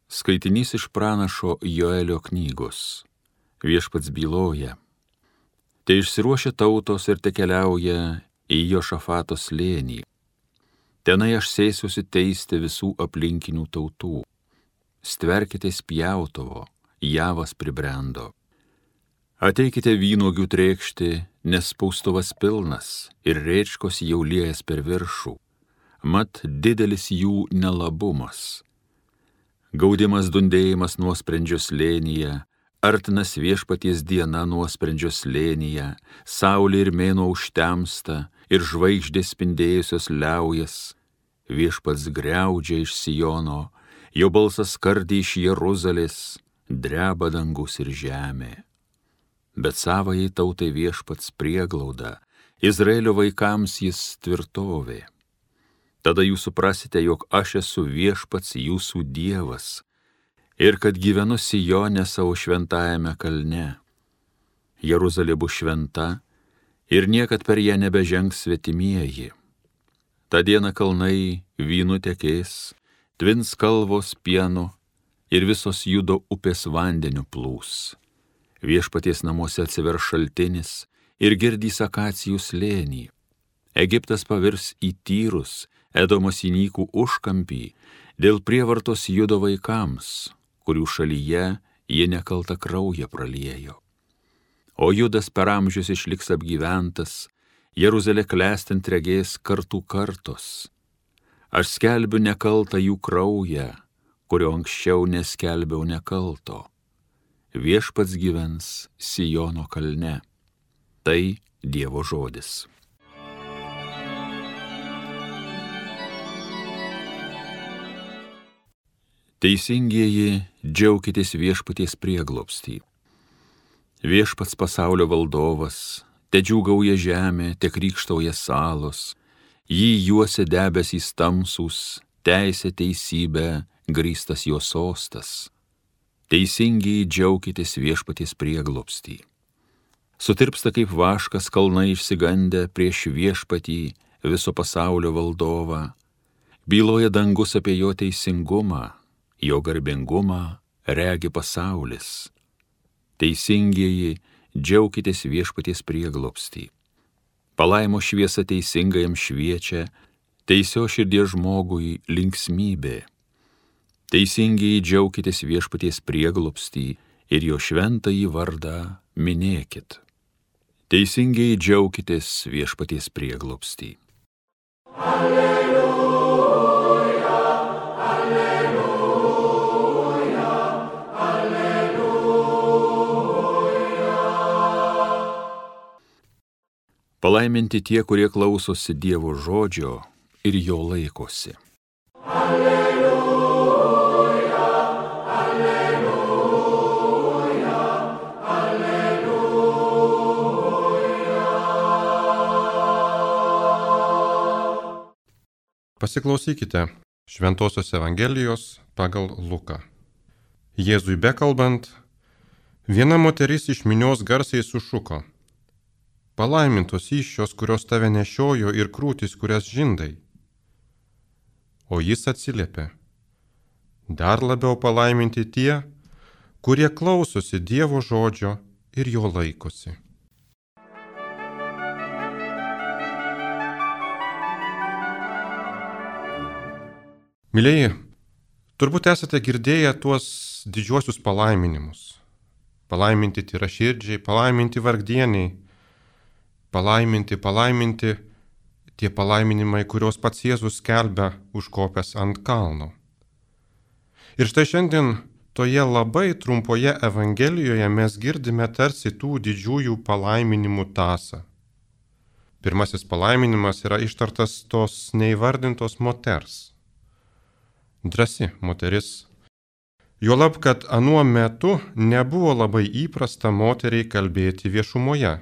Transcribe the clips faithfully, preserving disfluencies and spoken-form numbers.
Skaitinys iš pranašo Joelio knygos. Viešpats byloja. Te išsiruošia tautos ir te keliauja į Jošafato slėnį. Tenai aš sėsiuosi teisti visų aplinkinių tautų. Stverkitės pjautuvo, javas pribrendo. Ateikite vynuogių trėkšti, nes spaustuvas pilnas ir rėčkos jau liejas per viršų. Mat didelis jų nelabumas. Gaudimas dundėjimas nuosprendžio slėnyje, artinas viešpaties diena nuosprendžio slėnyje, saulė ir mėnuo užtemsta ir žvaigždės spindėjusios liaujas. Viešpats griaudžia iš Siono, jo balsas skardė iš Jeruzalės, dreba dangus ir žemė. Bet savajai tautai viešpats prieglauda, Izraelio vaikams jis tvirtovė. Tada jūs suprasite, jog aš esu viešpats jūsų Dievas ir kad gyvenu Sijone savo šventajame kalne. Jeruzalė bus šventa ir niekad per ją nebežengs svetimieji. Ta diena kalnai vynu tekės, tvins kalvos pienu ir visos Judo upės vandeniu plūs. Viešpaties namuose atsiver šaltinis ir girdys akacijų slėnį. Egiptas pavirs į tyrus, Edomas į nykų užkampį, dėl prievartos Judo vaikams, kurių šalyje jie nekaltą kraują praliejo. O Judas per amžius išliks apgyventas, Jeruzalė klestint regės kartų kartos. Aš skelbiu nekaltą jų kraują, kurio anksčiau neskelbiau nekalto. Viešpats gyvens Sijono kalne. Tai Dievo žodis. Teisingieji, džiaukitės viešpaties prieglobstį. Viešpats pasaulio valdovas, te džiūgauja žemė, te krykštauja salos, jį juosia debesys tamsūs, teisė teisybė, grįstas jo sostas. Teisingieji, džiaukitės viešpaties prieglobstį. Sutirpsta kaip vaškas kalnai išsigandę prieš viešpatį viso pasaulio valdovą. Byloja dangus apie jo teisingumą, jo garbingumą regi pasaulis. Teisingieji, džiaukitės viešpaties prieglobstį. Palaimo šviesa teisingajam šviečia, teisio širdies žmogui linksmybė. Teisingieji, džiaukitės viešpaties prieglobstį ir jo šventąjį vardą minėkit. Teisingieji, džiaukitės viešpaties prieglobstį. Alleluja, alleluja, alleluja. Palaiminti tie, kurie klausosi Dievo žodžio ir jo laikosi. Alleluja, alleluja, alleluja. Pasiklausykite Šventosios Evangelijos pagal Luką. Jėzui bekalbant, viena moteris iš minios garsiai sušuko: palaimintos įsčios, kurios tave nešiojo, ir krūtis, kurias žindai. O jis atsiliepė: dar labiau palaiminti tie, kurie klausosi Dievo žodžio ir jo laikosi. Mylėjai, turbūt esate girdėję tuos didžiuosius palaiminimus. Palaiminti tyraširdžiai, palaiminti vargdieniai, palaiminti, palaiminti tie palaiminimai, kuriuos pats Jėzus skelbia užkopęs ant kalno. Ir štai šiandien toje labai trumpoje Evangelijoje mes girdime tarsi tų didžiųjų palaiminimų tąsą. Pirmasis palaiminimas yra ištartas tos neįvardintos moters. Drąsi moteris. Juolab, kad anuo metu nebuvo labai įprasta moteriai kalbėti viešumoje.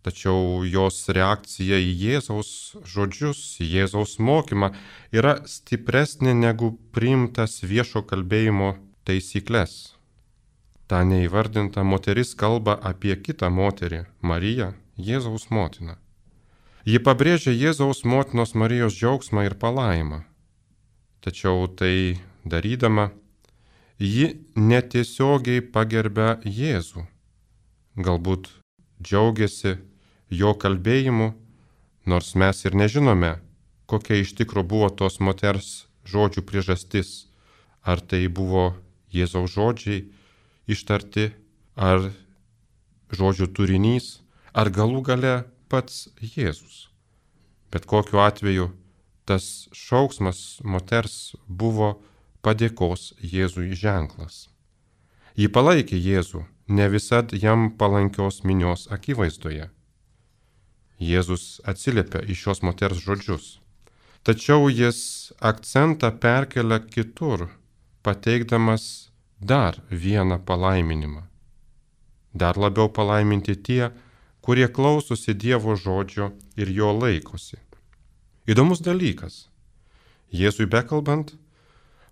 Tačiau jos reakcija į Jėzaus žodžius, į Jėzaus mokymą yra stipresnė negu priimtas viešo kalbėjimo taisyklės. Ta neįvardinta moteris kalba apie kitą moterį, Mariją, Jėzaus motiną. Ji pabrėžia Jėzaus motinos Marijos džiaugsmą ir palaimą. Tačiau tai darydama, ji netiesiogiai pagerbia Jėzų. Galbūt džiaugiasi jo kalbėjimu, nors mes ir nežinome, kokia iš tikro buvo tos moters žodžių priežastis. Ar tai buvo Jėzaus žodžiai ištarti, ar žodžių turinys, ar galų gale pats Jėzus. Bet kokiu atveju tas šauksmas moters buvo padėkos Jėzui ženklas. Ji palaikė Jėzų, ne visad jam palankios minios akivaizdoje. Jėzus atsiliepia į šios moters žodžius. Tačiau jis akcentą perkelia kitur, pateikdamas dar vieną palaiminimą. Dar labiau palaiminti tie, kurie klausosi Dievo žodžio ir jo laikosi. Įdomus dalykas. Jėzui bekalbant,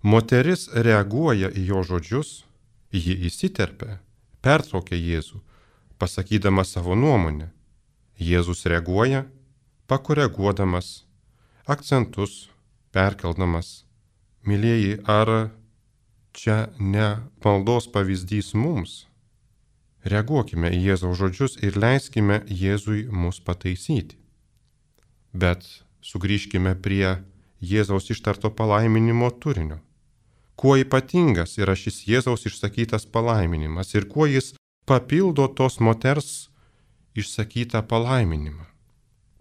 moteris reaguoja į jo žodžius, ji įsiterpia, pertraukia Jėzų, pasakydama savo nuomonę. Jėzus reaguoja, pakoreguodamas, akcentus perkeldamas. Mylėjai, ar čia ne maldos pavyzdys mums? Reaguokime į Jėzaus žodžius ir leiskime Jėzui mus pataisyti. Bet sugrįžkime prie Jėzaus ištarto palaiminimo turinio. Kuo ypatingas yra šis Jėzaus išsakytas palaiminimas ir kuo jis papildo tos moters išsakytą palaiminimą.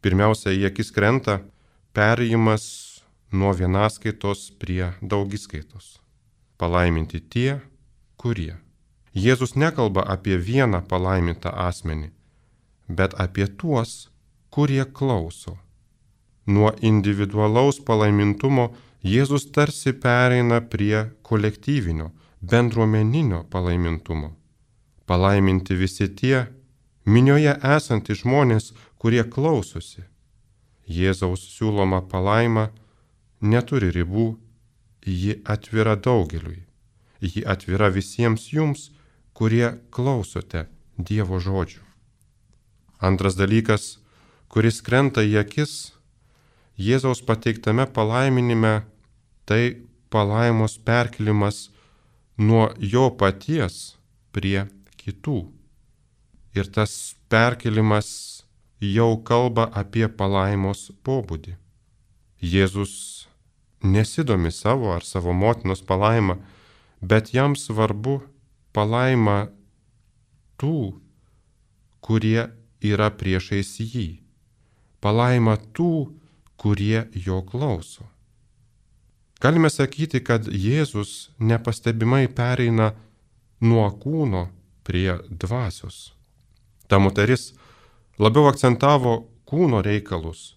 Pirmiausia, į akis krenta perėjimas nuo vienaskaitos prie daugiskaitos. Palaiminti tie, kurie. Jėzus nekalba apie vieną palaimintą asmenį, bet apie tuos, kurie klauso. Nuo individualaus palaimintumo Jėzus tarsi pereina prie kolektyvinio, bendruomeninio palaimintumo. Palaiminti visi tie, minioje esantys žmonės, kurie klausosi. Jėzaus siūloma palaima neturi ribų, ji atvira daugeliui. Ji atvira visiems jums, kurie klausote Dievo žodžių. Antras dalykas, kuris krenta į akis, Jėzaus pateiktame palaiminime, tai palaimos perkelimas nuo jo paties prie kitų. Ir tas perkelimas jau kalba apie palaimos pobūdį. Jėzus nesidomi savo ar savo motinos palaima, bet jam svarbu palaima tų, kurie yra priešais jį. Palaima tų, kurie jo klauso. Galime sakyti, kad Jėzus nepastebimai pereina nuo kūno prie dvasios. Ta moteris labiau akcentavo kūno reikalus,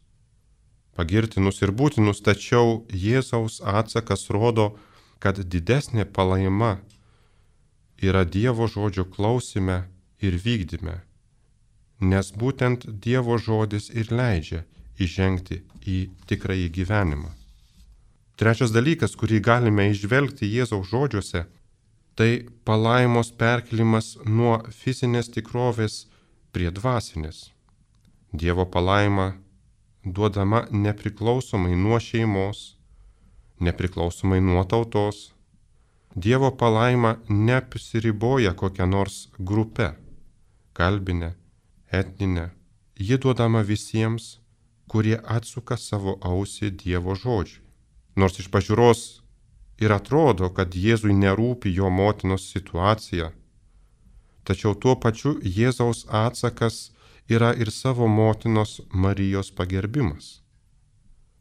pagirtinus ir būtinus, tačiau Jėzaus atsakas rodo, kad didesnė palaima yra Dievo žodžio klausime ir vykdyme, nes būtent Dievo žodis ir leidžia įžengti į tikrąjį gyvenimą. Trečias dalykas, kurį galime išvelgti Jėzaus žodžiuose, tai palaimos perkelimas nuo fizinės tikrovės prie dvasinės. Dievo palaima duodama nepriklausomai nuo šeimos, nepriklausomai nuo tautos. Dievo palaima neapsiriboja kokią nors grupę, kalbinę, etninę. Ji duodama visiems, kurie atsuka savo ausį Dievo žodžiui. Nors iš pažiūros ir atrodo, kad Jėzui nerūpi jo motinos situacija, tačiau tuo pačiu Jėzaus atsakas yra ir savo motinos Marijos pagerbimas.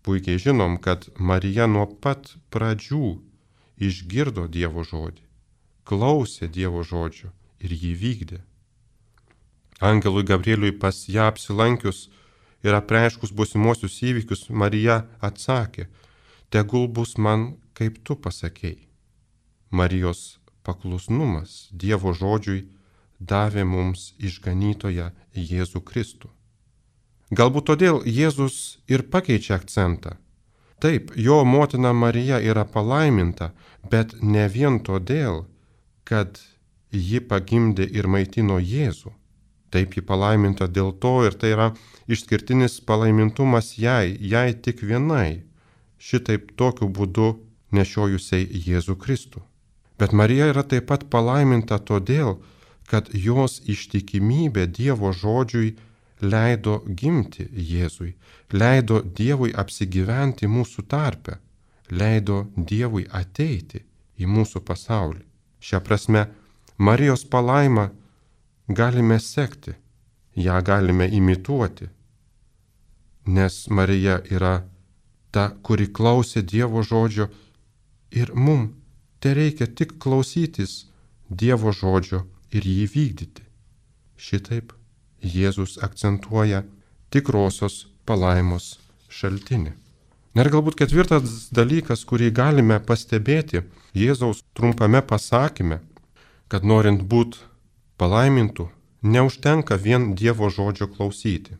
Puikiai žinom, kad Marija nuo pat pradžių išgirdo Dievo žodį, klausė Dievo žodžio ir jį vykdė. Angelui Gabrieliui pas ją apsilankius ir apreiškus būsimuosius įvykius, Marija atsakė: tegul bus man, kaip tu pasakei. Marijos paklusnumas Dievo žodžiui davė mums išganytoją Jėzų Kristų. Galbūt todėl Jėzus ir pakeičia akcentą. Taip, jo motina Marija yra palaiminta, bet ne vien todėl, kad ji pagimdė ir maitino Jėzų. Taip, ji palaiminta dėl to ir tai yra išskirtinis palaimintumas jai, jai tik vienai. Šitaip tokiu būdu nešiojusiai Jėzų Kristų. Bet Marija yra taip pat palaiminta todėl, kad jos ištikimybė Dievo žodžiui leido gimti Jėzui, leido Dievui apsigyventi mūsų tarpe, leido Dievui ateiti į mūsų pasaulį. Šią prasme, Marijos palaimą galime sekti, ją galime imituoti, nes Marija yra ta, kuri klausė Dievo žodžio ir mum tereikia tik klausytis Dievo žodžio ir jį vykdyti. Šitaip Jėzus akcentuoja tikrosios palaimos šaltinį. Ir galbūt ketvirtas dalykas, kurį galime pastebėti Jėzaus trumpame pasakyme, kad norint būti palaimintų, neužtenka vien Dievo žodžio klausyti,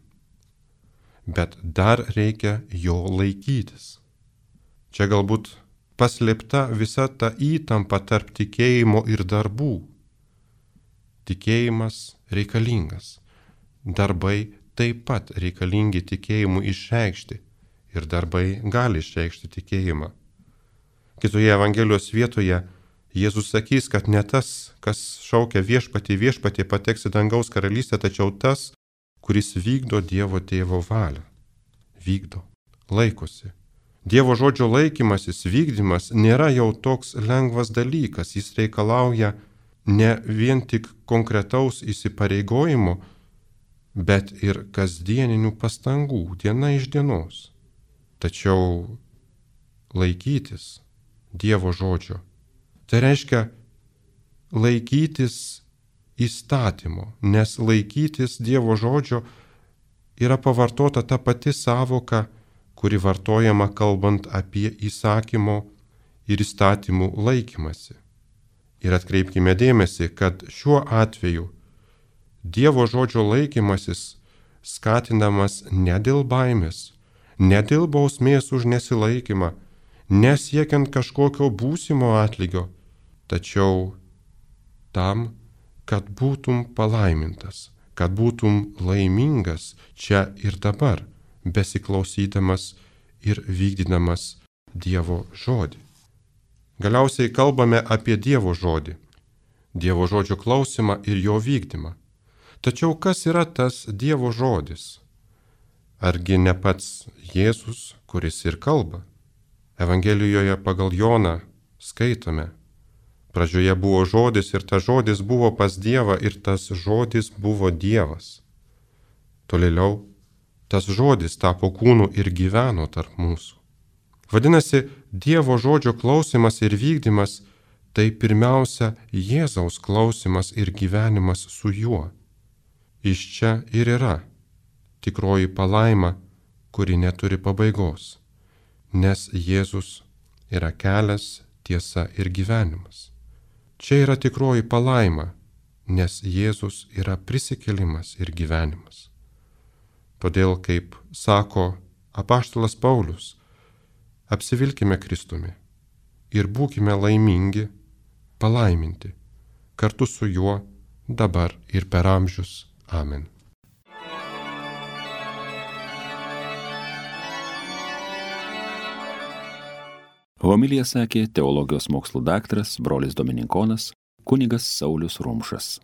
bet dar reikia jo laikytis. Čia galbūt paslėpta visa ta įtampa tarp tikėjimo ir darbų. Tikėjimas reikalingas, darbai taip pat reikalingi tikėjimui išreikšti ir darbai gali išreikšti tikėjimą. Kitoje Evangelijos vietoje Jėzus sakys, kad ne tas, kas šaukia viešpatį, viešpatį pateks į dangaus karalystę, tačiau tas, kuris vykdo Dievo tėvo valią. Vykdo, laikosi. Dievo žodžio laikymasis, vykdymas nėra jau toks lengvas dalykas, jis reikalauja ne vien tik konkretaus įsipareigojimo, bet ir kasdieninių pastangų diena iš dienos. Tačiau laikytis Dievo žodžio, tai reiškia laikytis įstatymo, nes laikytis Dievo žodžio yra pavartota ta pati sąvoka, kuri vartojama kalbant apie įsakymo ir įstatymų laikymasi. Ir atkreipkime dėmesį, kad šiuo atveju Dievo žodžio laikymasis skatinamas ne dėl baimės, ne dėl bausmės už nesilaikymą, nesiekiant kažkokio būsimo atlygio, tačiau tam, kad būtum palaimintas, kad būtum laimingas čia ir dabar, besiklausydamas ir vykdydamas Dievo žodį. Galiausiai kalbame apie Dievo žodį, Dievo žodžio klausimą ir jo vykdymą. Tačiau kas yra tas Dievo žodis? Argi ne pats Jėzus, kuris ir kalba? Evangelijoje pagal Joną skaitome: pradžioje buvo žodis ir tas žodis buvo pas Dievą ir tas žodis buvo Dievas. Tolėliau, tas žodis tapo kūnu ir gyveno tarp mūsų. Vadinasi, Dievo žodžio klausimas ir vykdymas tai pirmiausia Jėzaus klausimas ir gyvenimas su juo. Iš čia ir yra tikroji palaima, kuri neturi pabaigos, nes Jėzus yra kelias, tiesa ir gyvenimas. Čia yra tikroji palaima, nes Jėzus yra prisikėlimas ir gyvenimas. Todėl, kaip sako apaštalas Paulius, apsivilkime Kristumi ir būkime laimingi, palaiminti, kartu su juo dabar ir per amžius. Amen. Homiliją sakė teologijos mokslų daktaras, brolis dominikonas, kunigas Saulius Rumšas.